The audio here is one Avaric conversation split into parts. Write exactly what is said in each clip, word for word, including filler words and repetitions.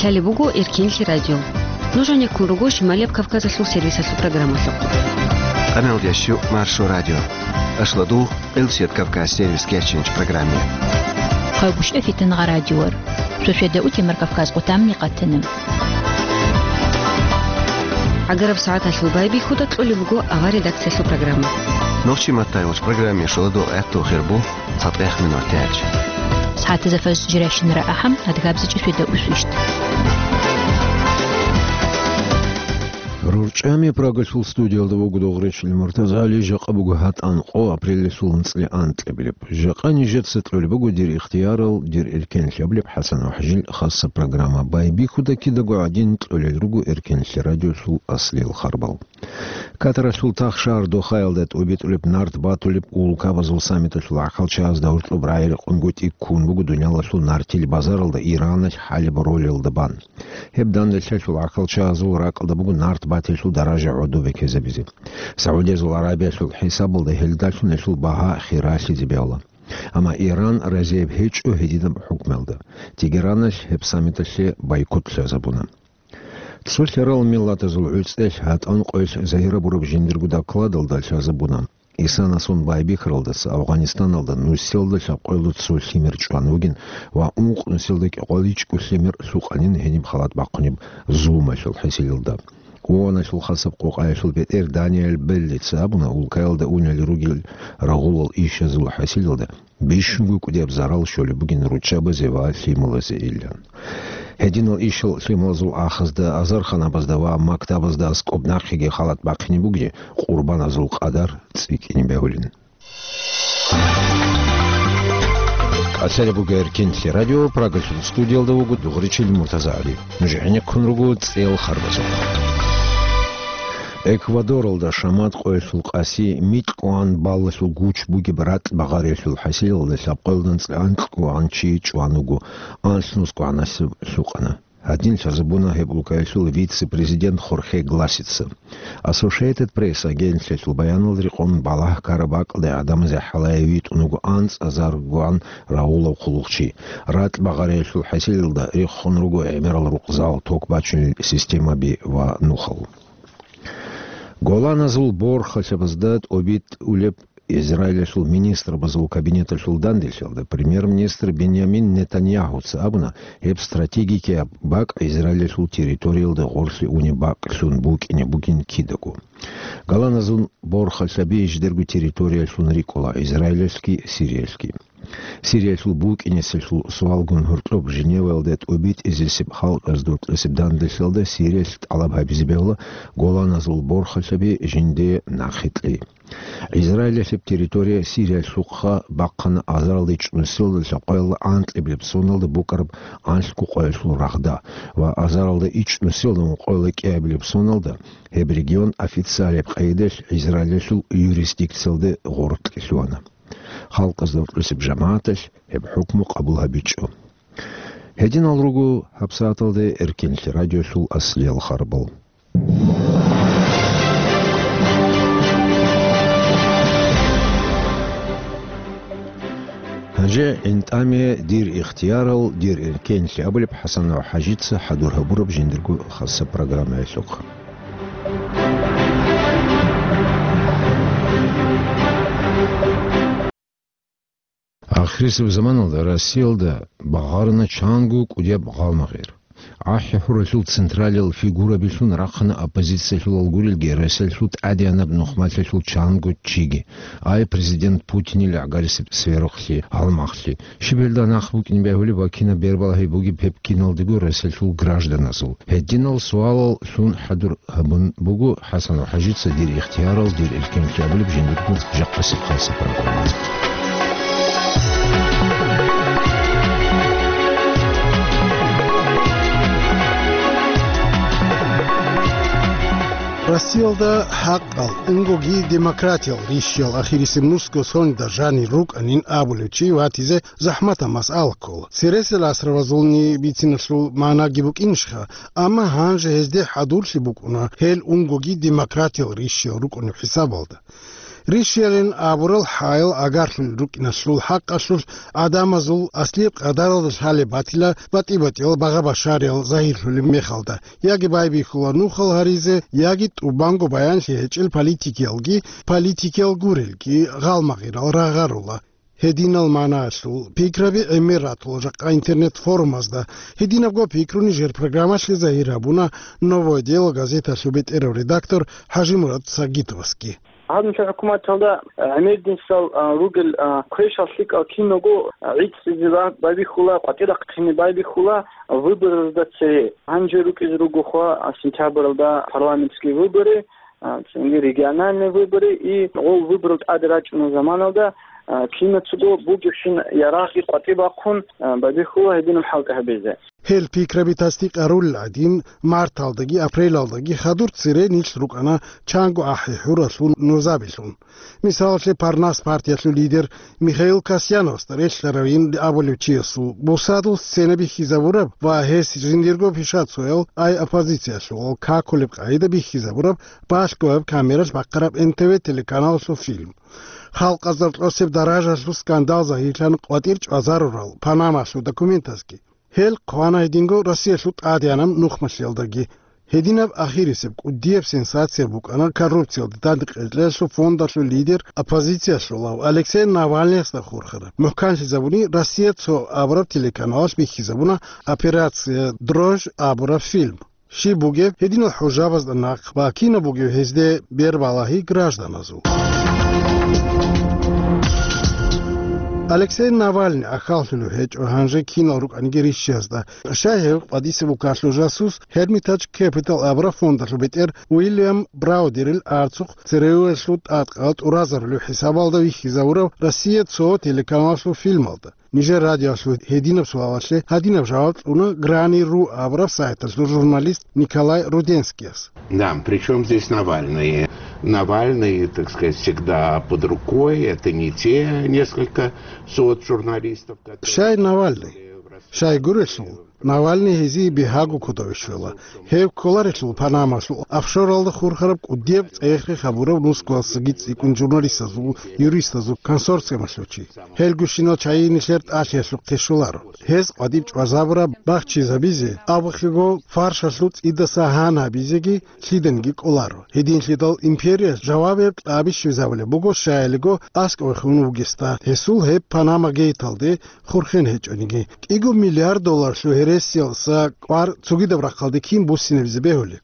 Лъалеб буго Эркенлъи радио. Нуж гьанеккун руго Шималияб Кавказалъул сервисалъул программалъухъ. Къамел ящу Маршо радио. Ашладу Элсет Кавказ сервис кечинч программе. Хъайгущ эфитан радиор. Сосведа утимар Кавказ къутамни къатана. Агараб сагӀаталъул байбихьуда кьолеб буго авар редакциялъул программа. Нохчи маттайвач программе шоладо гӀехту хирбу. Цадехъ минут тяч. СагӀатазда фаз жиращинара ахӀам, адгабзичӀи светда усвищт. РурчӀами Прагалъул студиялда вуго Дугъричил Муртазали, жакъа буго гьатӀан къо апрелалъул анцӀила анкьабилеб. Жакъа нижеца кьолеб буго дир ихтиярал, дир эркенлъабилеб ХӀасан ва ХӀажил хасса программа. Байбихьуда кидаго гӀадин кьолел руго Эркенлъи радиолъул аслиял харбал. Катаралъул тахшар Дохаялда тӀубитӀулеб нарт батулеб улкабазул саммиталъул гӀахьалчагьазда гьоркьоб рагӀи-рекъон гутӀи ккун буго дуниялалъул нартил базаралда Ираналъ хӀалеб ролелда бан. Гьеб данделъалъул гӀахьалчагьазул ракӀалда буго нарт батилъул даража гӀодобе ккезабизе. Саудиязул Арабиялъул хӀисабалда гьелдалъун гьелъул багьа хиралъизе бегьула. Амма Иран разияб гьечӀо гьединаб хӀукмуялда. Тегераналъ гьеб саммиталъе бойкот лъазабуна. Цо лъарал миллатазул гӀуцӀелъ гьатӀан къоялъ загьирабураб жиндирго докладалда лъазабуна, Исанасун байбихьаралдаса Афганистаналда нусилда лъабкъоялда цо лъимер чӀван вугин ва ункъ нусилда кӀикъоялда ичӀго лъимер лъукъанин гьениб халат бахъунеб зулмалъул хӀасилалда. ООНалъул хасаб къокъаялъул бетӀер Даниэль Беллица абуна, улкаялда унел ругел рагъулал ишазул хӀасилалда бищунго кӀудияб зарал щолеб бугин руччабазе ва лъималазе илан. Гьединал ишал лъималазул ахазда, азарханабазда ва мактабазда аскӀоб нахъеги халат бахъине бугин, къурбаназул къадар цӀикӀкӀине бегьулин. Асари буго Эркенлъи радио, Прагалъул студиялда вуго Дугъричил Муртазагьари. Нуж гӀенеккун руго цӀел харбазухъ. Эквадоралда шамат къоялъул къаси микьгӀан баллалъул гуч бугеб ратӀ багъариялъул хӀасилалда лъабкъоялда анцӀила анкьгӀан чи чӀван вуго, анлънусгӀанасеб лъукъана. Гьадин лъазабуна гьеб улкаялъул вице-президент Хорхе Гласица. Associated Press агентлъиялъул баяналда рекъон балагь ккараб бакӀалда гӀадамазе хӀалае витӀун вуго анцӀазаргогӀан рагъулав хъулухъчи. РатӀ багъариялъул хӀасилалда рехун руго гӀемерал рукъзал, ток бачунел системаби ва нухал. Голаназул борхалъабазда тӀобитӀулеб Израилалъул министрабазул кабинеталъул данделъиялда премьер-министр Беньямин Нетаньяхуца абуна, гьеб стратегикияб бакӀ Израилалъул территориялда гъорлъе унеб бакӀлъун букӀине бугин кидаго. Голаназул борхалъаби жидерго территориялъун рикӀкӀула Израилалъги Сириялъги. Сириялъул букӀинесалъул суалгун гьоркьоб Женеваялда тӀубитӀизесеб халкъазул тӀасеб данделъиялда Сириялъ тӀалаб гьабизе бегьула Голаназул борхалъаби жиндие нахъе кьей. Израилалъеб территория Сириялъухъа бахъана азаралда ичӀнусиялда лъабкъоялда анкьабилеб соналда букӀараб анлъго къоялъул рагъда ва азаралда ичӀнусиялда ункъоялда кӀиабилеб соналда гьеб регион официалияб къайдалъ Израилалъул юрисдикциялда гъоркье лъугьана. Халкъазда гьоркьосеб жамагӀаталъ гьеб хӀукму къабул гьабичӀо. Гьединал руго гьабсагӀаталда Эркенлъи радиолъул аслиял харбал. Гьанже гӀинтӀаме дир ихтиярал, дир эркенлъи абулеб ХӀасан ва ХӀажица хӀадур гьабураб жиндирго хасаб программаялъухъ. Ахирисеб заманалда Россиялда багъарана чанго кӀудияб гъалмагъир. АхӀи-хӀуралъул централиял фигурабилъун рахъана оппозициялъулал гурелги, Россиялъул тӀадегӀанаб нухмалъалъул чанго чиги, ай президент Путинил гӀагарисеб сверухълъи, гьалмагълъи. Щиб гьелда нахъ букӀин бегьулеб ва кинаб бербалагьи бугеб гьеб киналдаго Россиялъул гражданазул? Гьединал суалал лъун хӀадур гьабун буго ХӀасан ва ХӀажица дир ихтиярал, дир эркенлъи абулеб жиндирго жакъасеб хасаб программа. Россиялда хӀакъал, унгоги демократиял рищал ахирисеб нусго соналда жанир рукӀанин абулев чи ватизе захӀматаб масъала ккола. Цересел асрабазулни бициналъул магӀнаги букӀинищха, амма гьанже гьезде хӀадурлъи букӀуна гьел унгоги демократиял рищал рукӀунеб хӀисабалда. Ришиялин абурал хӀаял агарлъулел рукӀиналъул хӀакъалъулъ гӀадамазул аслияб къадаралда лъалеб батила батӀи-батӀиял багъа-башариял загьирлъулеб мехалда, яги байбихьула нухал гьаризе, яги тӀубанго баянлъи гьечӀел политикиялги, политикиял гурелги гъалмагъирал рагъарула. Гьединал магӀнаялъул пикраби гӀемер ратула жакъа интернет-форумазда. Гьединабго пикру нижер программалъе загьир гьабуна «Новое дело» газеталъул бетӀерав редактор ХӀажимурад Сагитовасги. Гьаб нилъер хӀукуматалда гӀемердинсал, а, ругел, а, квешал лъикӀал киного, а, гӀицӀизе ба-, байбихьула, къватӀирахъине байбихьула выборалда цее. Гьанже рукӀизе ругохъа, а, сентябралда парламентские выборы, а, цинги региональные выборы, и гъол выборал тӀаде рачӀунел заманалда, а, кинацаго бугебщин ярагъги къватӀиб бахъун, а, байбихьула гьединаб хӀалтӀи гьабизе. Гьел пикраби тасдикъарулел гӀадин, марталдаги апрелалдаги хадур цере нилъ рукӀана чанго ахӀи-хӀуралъул нузабилъун. Мисалалъе, Парнас партиялъул лидер Михаил Касьяновасда релълъаравин абулев чиясул бусадул сцена бихьизабураб ва гьес жиндирго пишацоял ай оппозициялъувал какулеб къагӀида бихьизабураб балъгояб камералъ бахъараб Н Т В телеканалалъул фильм. Халкъазда кьосеб даражалъул скандал загьирлъан къватӀир чӀвазарурал Панамалъул документазги. Гьел хъвана гьединго Россиялъул тӀадегӀанаб нухмалъиялдаги. Гьединаб ахирисеб кӀудияб сенсация букӀана коррупциялда дандекъечӀлъиялъул фондалъул лидер, оппозициялъулав Алексей Навальныясда хурхараб. МухӀканлъизабуни Россия цо абураб телеканалалъ бихьизабуна «Операция Дрожь» абураб фильм. Щиб бугеб гьединал хӀужабазда нахъ ва кинаб бугеб гьезде бербалагьи гражданазул? Алексей Навальный ахьаллъулев гьечӀо гьанже кинал рукӀаниги рищиязда. Щай гьев къвадисеб укалъул жасус Hermitage Capital абураб фондалъул бетӀер Уильям Браудерил арцухъ ЦРУ-ялъул тӀадкъал тӀуразарулев хӀисабалда вихьизавурав Россия цо телеканалалъул фильмалда? Нижер радиоялъул гьединаб суалалъе гьадинаб жаваб кьуна Грани ру абураб сайталъул журналист Николай Руденскияс. Да, причём здесь Навальный? Навальный, так сказать, всегда под рукой, это не те несколько сот журналистов, которые... Щай Навальный? Щай гурелъул, Навальный гьезие бигьаго кодове щвела. Гьев кколарелъул Панамалъул офшоралда хурхараб кӀудияб цӀех-рех гьабурав нусгоялдасаги цӀикӀкӀун журналистазул, юристазул консорциумалъул чи. Гьелгощинал чагӀи нилъер тӀалъиялъухъе щоларо. Гьез къватӀиб чӀвазабураб бахчизабизе, абухъего фаршалъул цӀидаса гьан гьабизеги лъиданиги кӀоларо. Гьединлъидал империя жавабияб кьаби щвезабулеб буго, щаялиго аскӀовехун вугесда, гьесул гьеб Панама гейталде хурхен гьечӀониги. КӀиго миллиард долларлъул гьересиялдаса кӀвар цогидаб рахъалде кин буссинабизе бегьулеб?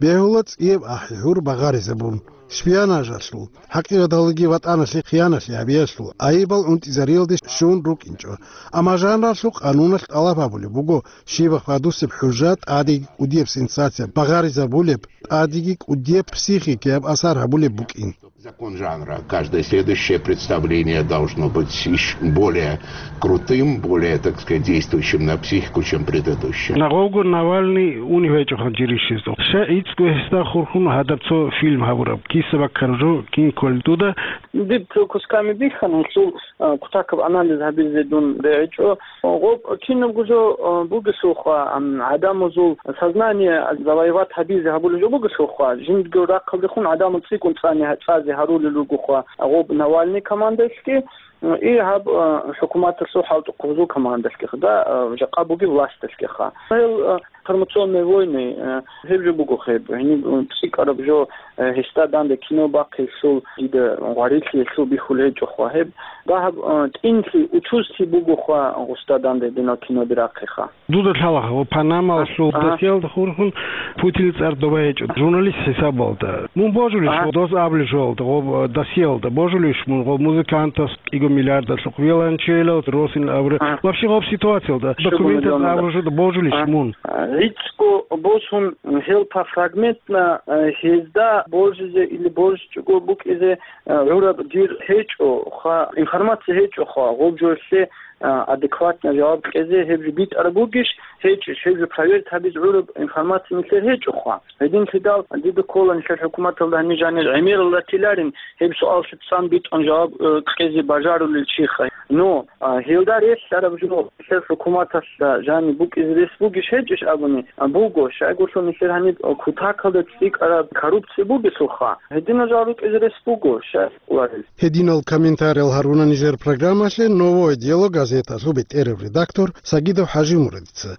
Бегьула цӀияб ахӀи-хӀур багъаризабун, шпионажалъул, хӀакъикъаталдаги ватӀаналъе хияналъи гьабиялъул айибал унтӀизариялде щун рукӀинчӀо. Амма жанралъул къануналъ тӀалаб гьабулеб буго, щибаб хадусеб хӀужа, тӀадеги кӀудияб сенсация багъаризабулеб, тӀадеги кӀудияб психикияб асар гьабулеб букӀин. Закон жанра. Каждое следующее представление должно быть ещё более крутым, более, так сказать, действующим на психику, чем предыдущее. Нагъовго Навальный унев гьечӀо гьанже рищиздухъ. Щай гӀицӀго гьесда хурхун гьадаб цо фильм гьабураб? Киса баккараб жо кин кколел дуда? Диб цо кусками бихьана, гьелъул, а, кутакаб анализ гьабизе дун бегьичӀо. Гъоб кинабго жо, а, бугелъулха, ам, гӀадамазул сознание завоевать гьабизе гьабулеб жо бугелъулха, жиндирго рахъалдехун гӀадамал цӀикӀкӀун цӀани-, цӀазе гьарулел ругоха гъоб Навальный командаялъги, и гьаб, а, хӀукуматалъул хӀалтӀухъабазул командаялъгиха, да, а, жакъа бугеб власталъгиха. Гьел, а, информационные войны, а, гьеб жо буго гьеб, гьениб, а, цӀикӀкӀараб жо, а, гьесда данде кино бахъиялъул дида гъварилъиялъул бихьулеб гьечӀоха гьеб. Дагьаб, а, тӀинлъи, учузлъи бугоха гъусда данде гьединал киноби рахъиха. Дуда лъалаха, ва Панамалъул, ага, досиялда хурхун Путинил цӀар доба гьечӀо журналист хӀисабалда. Мун божулищ, ага, дос абулеб жоялда, гъоб, э, досиялда божулищ мун гъоб музыкантас кӀиго миллиардалъухъ, виолончелал, росин абура. Ага. Вообще гъоб ситуациялда, документалда абура жоялда божулищ, ага, мун? ГӀицӀго босун, гьел пофрагментно, э, гьезда божизе или божичӀого букӀизе, э, гӀураб дир гьечӀо, ха, информация гьечӀо, ха, гъоб жоялъе а, адекватно жаваб кьезе гьеб жо битӀараб бугищ, гьечӀищ, гьеб жо проверить гьабизе гӀураб информация нилъер гьечӀоха. Гьединлъидал дида ккола нилъер хӀукуматалда гьаниб жанир гӀемерал ратиларин гьеб суаллъи цӀан битӀун жаваб, э, кьезе бажарулел чиха. Но, а, гьелда релълъараб жо нилъер хӀукуматалъ жаниб букӀизе рес бугищ, гьечӀищ абун, Буго, щайгурлъун нилъер гьаниб кутакалда цӀикӀкӀараб коррупция бугелъулха, гьединал жал рукӀизе рес буго, щай кколарел. Гьединал комментариял гьаруна нижер программалъе «Новое дело» газеталъул бетӀерав редактор Сагидов ХӀажимурадица.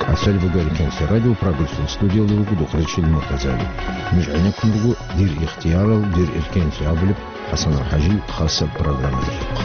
КӀалъалеб буго Эркенлъи радио, программалъул студиялда вуго Дукъречил Муртазали. Нуж гӀенеккун буго «Дир ихтиярал, дир эркенлъи» абулеб ХӀасан ХӀажил хасаб программаялъухъ.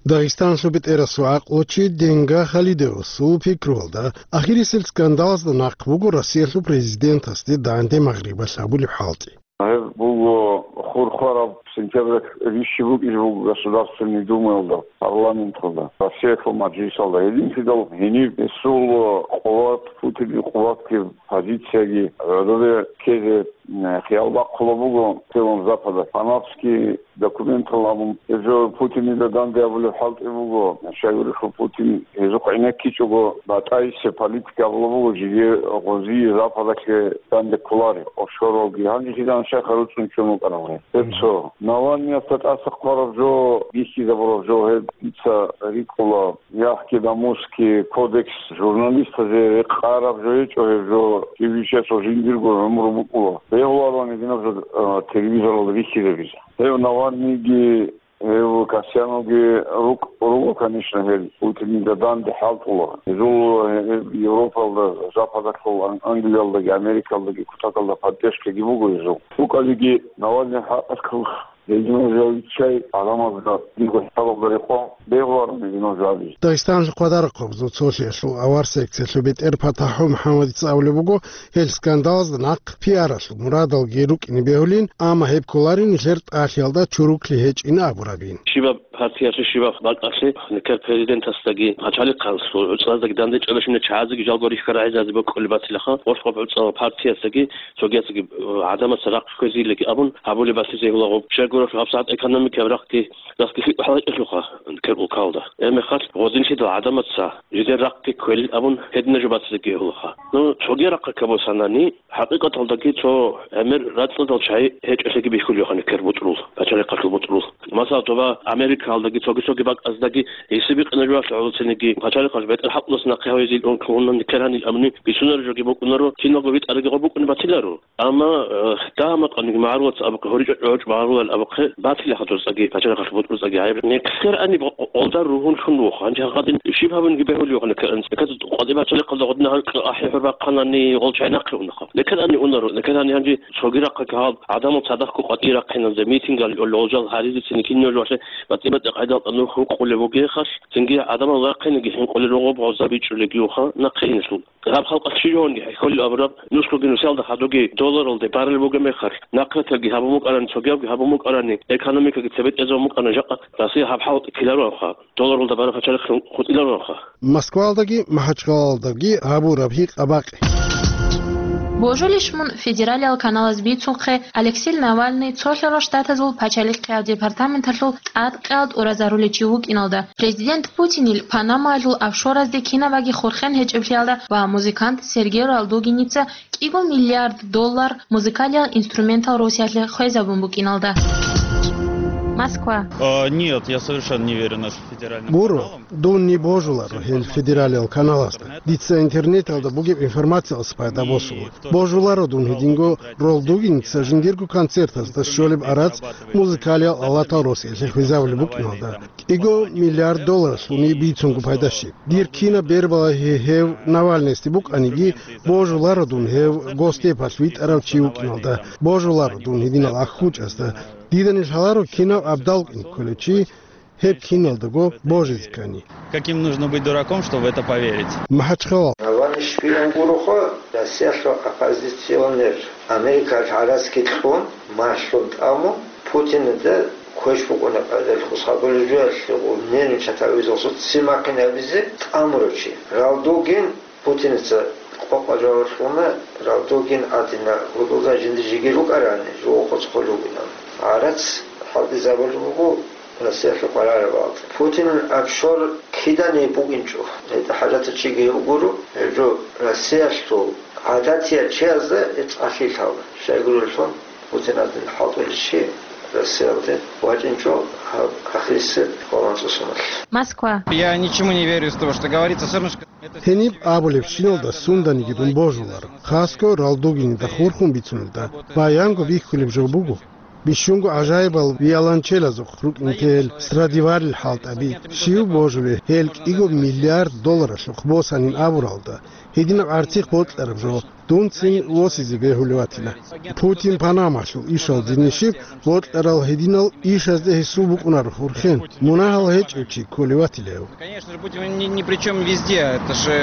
Дагъистаналъул бетӀерасул гӀакълучи Денга Халидовасул пикруялда, ахирисел скандалазда нахъ буго Россиялъул президентасде данде Магърибалъ гьабулеб хӀалтӀи. Гьеб буго хурхараб сентябралъ рищи букӀизе буго Государственный Думаялда, парламенталда, Россиялъул мажлисалда. Гьединлъидал гьениб гьесул къуват, Путинил къуватги, позицияги гӀодобе ккезе, м, хиял бахъула буго целом Запада. Панамский документал абун, гьезул Путинида данде абулеб хӀалтӀи буго. Щайгурелъул Путин гьезухъ гӀенеккичӀого батӀайсеб политика абула буго, жиги гъозие Западалъе данде кколаре, офшоралги. Гьанже кидан щайха руцӀцӀун чӀун вукӀарав гьеб. Гьеб цо. Навальныясда тӀаса хъвараб жо, бихьизабураб жо, гьеб дица рикӀкӀула. Яхъги Дамусский кодекс журналистазе рекъараб жо гьечӀо, гьеб жо кивишесул жиндирго гӀумру букӀула. Бегьулароан гьединаб жо, а, телевизоралда бихьизабизе. Гьев Навальныйги, гьев Касьяновги рукӀ-, руго, конечно, гьел Путинида данде хӀалтӀула. Гьезул, э, Европалда, Западалъул, Ан-, Англиялдаги, Америкалдаги кутакалда поддержкаги буго гьезул. БукӀалиги Навальный хӀакъалъулъ. Гьединал жавиччай гӀаламазда дирго хӀисабалда рекъон бегьуларо гьединал жавабизе. Дагъистаналъул хъвадарахъабазул цолъиялъул авар секциялъул бетӀер ПатахӀул МухӀаммадица абулеб буго, гьел скандалазда нахъ пиаралъул мурадалги рукӀине бегьулин, амма гьеб кколарин нилъер тӀалъиялда чуруклъи гьечӀин абурабин. Щибаб партиялъе, щибаб бакӀалъе, нилъер президентасдаги, пачалихъалъул гӀуцӀаздаги дандечӀолещина чагӀазеги жалго рихьарагӀизазе бокӀулеб батилаха, гъоркьоб гӀуцӀал партиясдаги цогиясги, э, гӀадамаца рахъ кквезейилаги абун гьабулеб батизе гьулагъуб. Щайгурелъул гьабсагӀат экономикияб рахъги дасги лъикӀ хӀалакьалъулха кер улкалда. Гьебмехалъ гъодинлъидал гӀадамаца жидер рахъги кквелин абун гьедина жо батизеги гьулаха. Ну, цоги рахъа кабусанани, хӀакъикъаталдаги цо гӀемер рацӀцӀадал чагӀи гьечӀолъиги бихьулевхъани кер бутӀрул, пачалихъалъул бутӀрул. Масала, доба Америкалдаги цоги-цоги бакӀаздаги гьесиб бикъина жо гьалъугӀулцинеги, пачалихъалъ бетӀер хӀакъулас нахъе гьавизе илъун кколунани кер гьанил абуни бицунареб жоги букӀунаро, киналго витӀарагиго букӀунеб батиларо. Амма, э, дагьа-макъаниги магӀарулаца абухъе, гьоричӀо-чӀогӀочӀ магӀарулал абухъе, батилаха дурцӀаги, пачалихъалъ бутӀрузцӀаги гьаб. Нилъер ани гъо-, гъолда ругьунлъун вуха. Гьанже гьагъадин щиб гьабунги бегьулевхъани кер анцӀкӀад къватӀи пачалихъалда гъодина гьанкьа ахӀи-хӀур бахъанани гъол чай нахъе унаха. Нилъер ани унаро, нилъер ани гьанже цогирахъа гьаб гӀадамал цадахъго къватӀи рахъинанзе, митингал, лъолжал гьаризецин киниялъ валъе батӀи-батӀи къайдалда нух гьукъулеб бугехъалъ, цинги гӀадамал рахъинеги хӀинкъулел ругъуб гъоза бичӀчӀулегиуха нахъе инлъул. Гьаб халкъалъ щиб гьаванги хӀехьолел абураб, нусгоги нусиялда хадуги долларалде баралел бугеб мехалъ, нахърателги гьабун букӀарани, цогиябги гьабун букӀарани, экономикаги цебетӀезабун букӀарани, жакъа Россия гьаб хӀалкь ккелароха, долларалда бараб пачалихъ хутӀилароха. Москваялдаги МахӀачхъалалдаги гьабураб гьикъа-бакъи. Божулищ мун федералиял каналаз бицунхъе, Алексей Навальный цолъарал штатазул пачалихъияб департаменталъул тӀадкъиялда тӀуразарулев чи вукӀиналда, президент Путинил Панамаялъул офшоразде кинабаги хурхен гьечӀеблъиялда ва музыкант Сергей Ралдугиница кӀиго миллиард доллар музыкалиял инструментал Россиялъе хвезабун букӀиналда. Москва. А, нет, я совершенно не верю нашим федеральным Буро, каналам. Дун ни божуларо гьел федералиял каналазда. Дица интернеталда бугеб информациялъ пайда босула. Божуларо дун гьединго Ралдугиница жиндирго концертазда щолеб арац музыкалиял алатал Россиялъе хвезабулеб букӀиналда. КӀиго миллиард долларалъуни бицунго пайда щиб. Дир кинаб бербалагьи гьев Навальныйасде букӀаниги, божуларо дун гьев Госдепалъ витӀарав чи вукӀиналда, божуларо дун гьединал ахӀучӀазда. Дида нилъ лъаларо кинав абдал кӀин кколев чи гьеб киналдаго божизе ккани. Каким нужно быть дураком, чтобы в это поверить? МахӀачхъала. Навальный шпион гуроха, Россиялъул оппозиционер, Америкалъ гӀарацги кьун, малъун тӀамун, Путинида квеш букӀуна къайдалъ хус хабулеб жоялъе, нервничать гьавизалъул ццин бахъин гьабизе тӀамурав чи. Ралдугин Путиница къокъа жаваб кьуна, Ралдугин гӀадина гьудулда жинда жиги рукӀарани, жугьу хъуцӀ хъулугинан. ГӀарац хӀалтӀизабулеб буго, Россиялъул къваригӀараб гьалда. Путинил офшор кидани букӀинчӀо. ГьетӀа хӀажатав чиги вугоро, гьеб жо Россиялъул гӀадатиял чиязда гьеб цӀалъи лъала. Щайгурелъул, Путиназул хӀалтӀулев чи Россиялде вачӀинчӀо гьаб ахирисеб къоло анцӀго соналъ. Москва. Я ничему не верю из того, что говорится, всё равно, что это... Гьениб абулебщиналда сунданиги дун божуларо, хасго ралдугинида хурхун бицунелда баянго бихьулеб жо буго. Бищунго гӀажаибал виолончелазухъ рукӀин тел Страдиварил хӀалтӀаби, щив божулеб гьел кӀиго миллиард долларалъухъ босанин абуралда, гьединаб гӀарцихъ бокьараб жо дунцин восизе бегьулев ватила. Путин Панамалъул ишалде нижер бокьарал гьединал ишазде гьесул букӀунаро хурхен, мунагьал гьечӀев чи кколев ватила гьев. Конечно же, Путин ни, ни при чём везде, это же,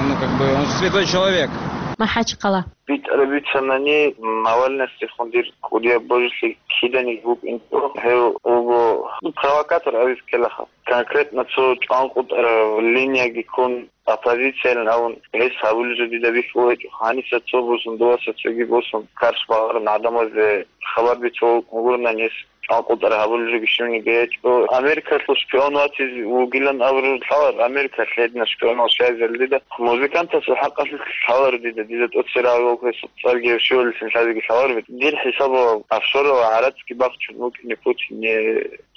ну, как бы, он же святой человек. МахӀачхъала. БитӀараб бицанани, Навальныясдехун дир кӀудияб божилъи киданиги букӀинчӀо, гьев вуго провокатор абизе ккелаха. Конкретно цо чӀванкъотӀараб линияги ккун, оппозициялин абун, гьес гьабулеб жо дида бихьулеб гьечӀо. Гьаниса цо босун, дуваса цоги босун, карш багъарун гӀадамазде хабар бицун вугони гьес чӀванкъотӀараб гьабулеб жоги щибниги гьечӀо. Америкалъул шпион ватизе вугилан абураб лъалар, Америкалъ гьединал шпионал щайзал дида. Музыкантасул хӀакъалъулъ лъалар дида, дида тӀоцерагӀав гьесул цӀарги гьев щивалилъин лъазеги лъалар. Дир хӀисабалъ офшоралда гӀарацги бахчун вукӀине Путине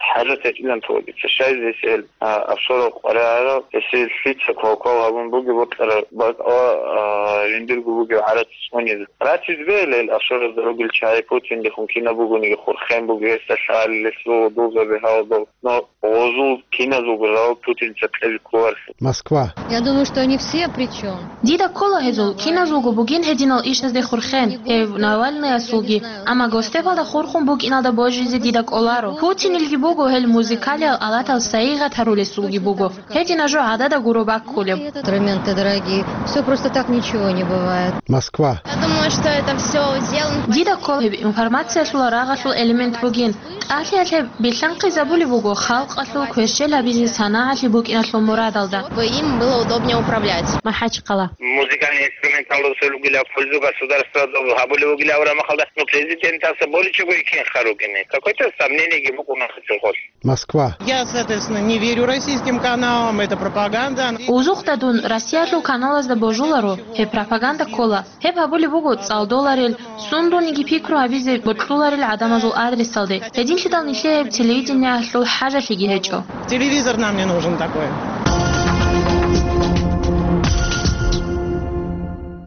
хӀажат гьечӀилан тӀоцебе. Щайзе гьесие, а, офшорал къваригӀарал, гьесие лъица квалквал гьабун бугеб бокьараб бакӀалда, а, жиндирго бугеб гӀарац цӀунизе. Ратизе бегьила гьел офшоразда ругел чагӀи, Путиндехун кинаб бугониги хурхен буго гьесда лъалел, гьесул гъудулзаби гьалаб. Но гъозул киназулго жаваб Путинца кьезе кколарелъул. Москва. Я думаю, что они все при чём. Дида ккола гьезул киназулго бугин гьединал ишазде хурхен, гьев Навальныясулги, амма госдепалда хурхун букӀиналда божизе дида кӀоларо. Путинилги буго гьел музыкалиял алатал сайигъат гьарулесулги буго. Гьединаб жо гӀадада гуро баккулеб. Инструменты дорогие. Всё просто так ничего не бывает. Москва. Я думаю, что это всё сделано. Дида ккола гьеб информациялъул рагъалъул элемент бугин. ТӀалъиялъе билълъанхъизабулеб буго халкъалъул кверщел гьабизе санагӀалъи букӀиналъул мурадалда. Чтобы им было удобнее управлять. МахӀачхъала. Музыкальный инструменталда цо ругила пользу государствада гьабулев вугилан абураб мехалда, ну, президентас боличӀого кин хъаругин. Какое-то сомнениеги букӀуна гьесул. Москва. Я, соответственно, не верю российским каналам, это пропаганда. Узухъда дун Россиялъул каналазда божуларо, гьеб пропаганда ккола. Гьеб гьабулеб буго цӀалдоларел, сундулниги пикру гьабизе бокьуларел гӀадамазул адресалде. Гьединлъидал нилъее гьеб телевидениялъул хӀажалъиги гьечӀо. Телевизор нам не нужен такой.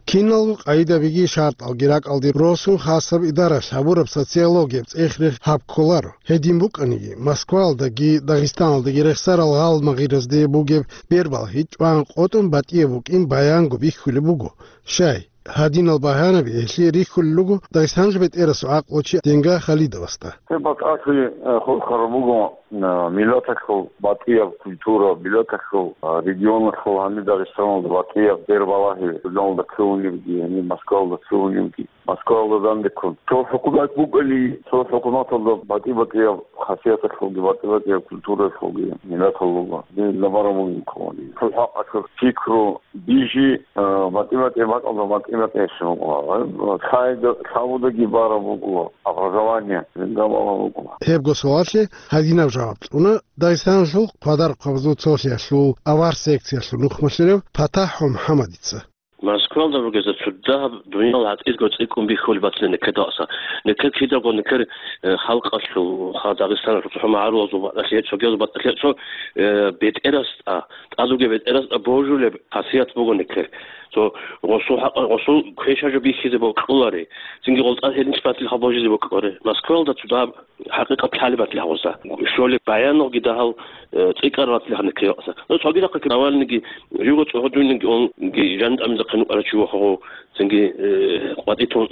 Киналго къайдабиги шартӀалги ракӀалде росун хасаб идаралъ гьабураб социологияб цӀех-рех гьаб кколаро. Гьедин букӀаниги, Москваялдаги Дагъистаналдаги рехсарал гъалмагъиразде бугеб бербалъи чӀван къотӀун батӀияб букӀин баянго бихьулеб буго. Щай, гьадинал багьанаби гьелъие рихьулел руго Дагъистаналъул бетӀерасул гӀакълучи Денга Халидовасда. Гьеб батӀалъи, э, хурхараб буго, э, миллаталъул батӀияб культура, миллаталъул, э, регионалъул гьаниб Дагъистаналда батӀияб бербалагьи, журналалда кколебги, гьаниб Москваялда кколебги, Москваялда данде ккун. Цо хӀукумат букӀани, цо хӀукуматалда батӀи-батӀияб хасияталъулги, батӀи-батӀияб культуралъулги миллатал руго. Дие набараб бугин кколани. Цо хӀакъалъулъ пикру Бижи, а, батӀи-батӀи бакӀалда батӀи-батӀи гьечӀо. Лъаб-, лъабудаги бараб буго, образование, гьеб гьабулеб буго. Гьебго суалалъе гьадинаб жаваб кьуна Дагъистаналъул квадархъабазул цолъиялъул авар секциялъул нухмалъулев ПатахӀ МухӀаммадица. Москвалда ругезда цо дагьаб дуниял гӀатӀидго цӀикӀкӀун бихьулеб батила нилъеда. Нилъер кидаго нилъер, э, халкъалъул, ха, Дагъистаналъул цохӀо магӀарулазул батӀалъи, цогиял батӀалъи, цо, э, бетӀерасда, тӀад бугеб бетӀерасда божулеб хасият буго нилъер. Цо гъосул хӀакъ-, гъосул квешаб жо бихьизе бокьулари. Цинги гъол тӀад гьединлъи батилха божизе бокьулари. Москвалда цо дагьаб хӀакъикъат лъалеб батилха гъозда. Щолеб баянги дагьал, э, цӀикӀкӀараб батилха нилъеда. Ну, цогидахъе Навальныйги, живго цӀогьо дуниги онги жан тӀамизехъин вукӀарав чи вохого, цинги, э, къватӀитун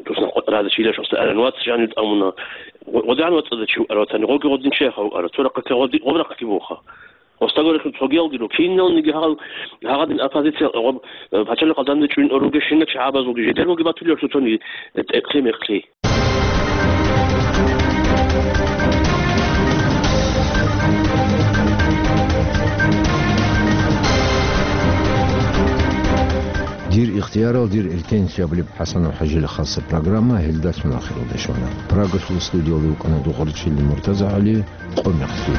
туснахъ къватӀразда чилаш оста аран вац жанив тӀамуна. Гъо-, гъодигӀан вацӀцӀадав чи вукӀарав ватани, гъоги гъодин чияха вукӀарав. Цо рахъалъе гъоди-, гъоб рахъалъе буха. Остагорехун цогиялги ру. Киналниги гьал, гьагъадин оппозиция гъоб, э, пачалихъалда данде чӀун ругещинна чагӀазулги жидерго батулев цоцони, э, тӀекълъи-мекълъи. Дир Цеярал дир иртенлъи абулеб ХӀасанов ХӀажил хасаб программа гьелдалъун ахиралде щвана. Прагалъул студиялда вукӀана Дугъарчили МуртазагӀали, къо-мекълъи.